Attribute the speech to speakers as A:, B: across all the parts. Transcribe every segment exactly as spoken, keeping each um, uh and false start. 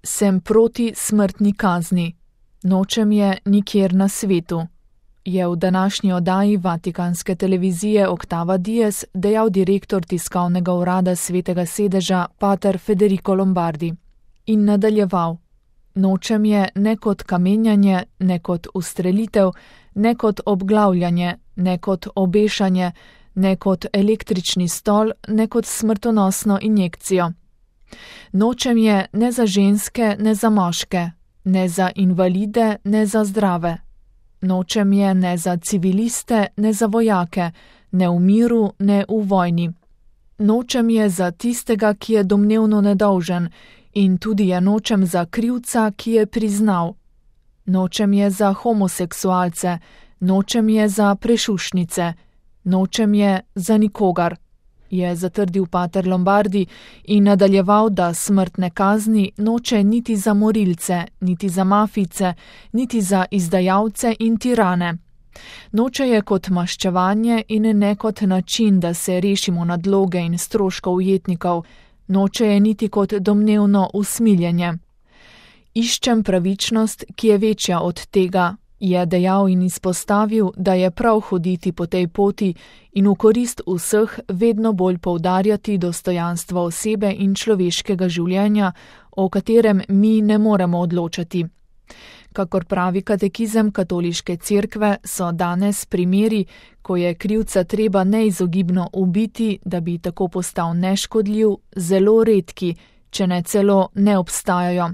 A: Sem proti smrtni kazni. Nočem je nikjer na svetu, je v današnji oddaji vatikanske televizije Octava Dies dejal direktor tiskovnega urada Svetega sedeža pater Federico Lombardi. In nadaljeval: Nočem je ne kot kamenjanje, ne kot ustrelitev, ne kot obglavljanje, ne kot obešanje, ne kot električni stol, ne kot smrtonosno injekcijo. Nočem je ne za ženske, ne za moške, ne za invalide, ne za zdrave. Nočem je ne za civiliste, ne za vojake, ne v miru, ne v vojni. Nočem je za tistega, ki je domnevno nedolžen, in tudi je nočem za krivca, ki je priznal. Nočem je za homoseksualce, nočem je za prešušnice, nočem je za nikogar, je zatrdil pater Lombardi in nadaljeval, da smrtne kazni noče niti za morilce, niti za mafijce, niti za izdajalce in tirane. Noče je kot maščevanje in ne kot način, da se rešimo nadloge in stroškov ujetnikov, noče je niti kot domnevno usmiljenje. Iščem pravičnost, ki je večja od tega, je dejal in izpostavil, da je prav hoditi po tej poti in v korist vseh vedno bolj poudarjati dostojanstvo osebe in človeškega življenja, o katerem mi ne moremo odločati. Kakor pravi katekizem katoliške cerkve, so danes primeri, ko je krivca treba neizogibno ubiti, da bi tako postal neškodljiv, zelo redki, če ne celo ne obstajajo.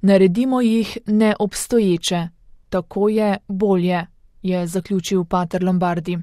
A: Naredimo jih neobstoječe. Tako je bolje, je zaključil pater Lombardi.